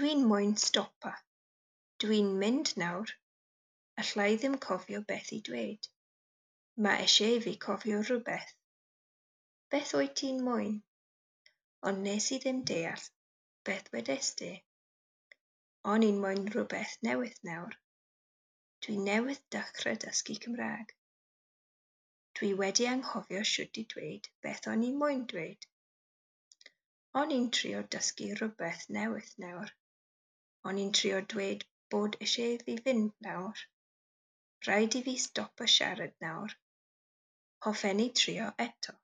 Dwi'n moyn stopa. Dwi'n mynd nawr. Alla i ddim cofio beth i dweud. Mae eisiau fi cofio rhywbeth. Beth wyt ti'n moyn? Ond nes i ddim deall beth wedest ti. O'n i'n moyn rhywbeth newydd nawr. Dwi newydd dechrau dysgu Cymraeg. Dwi wedi anghofio sut i dweud beth o'n i moyn dweud. O'n i'n trio dysgu rhywbeth newydd nawr. O'n i'n trio dweud bod eisiau fi fynd nawr. Rhaid i fi stopo siarad nawr. Hoffen ni trio eto.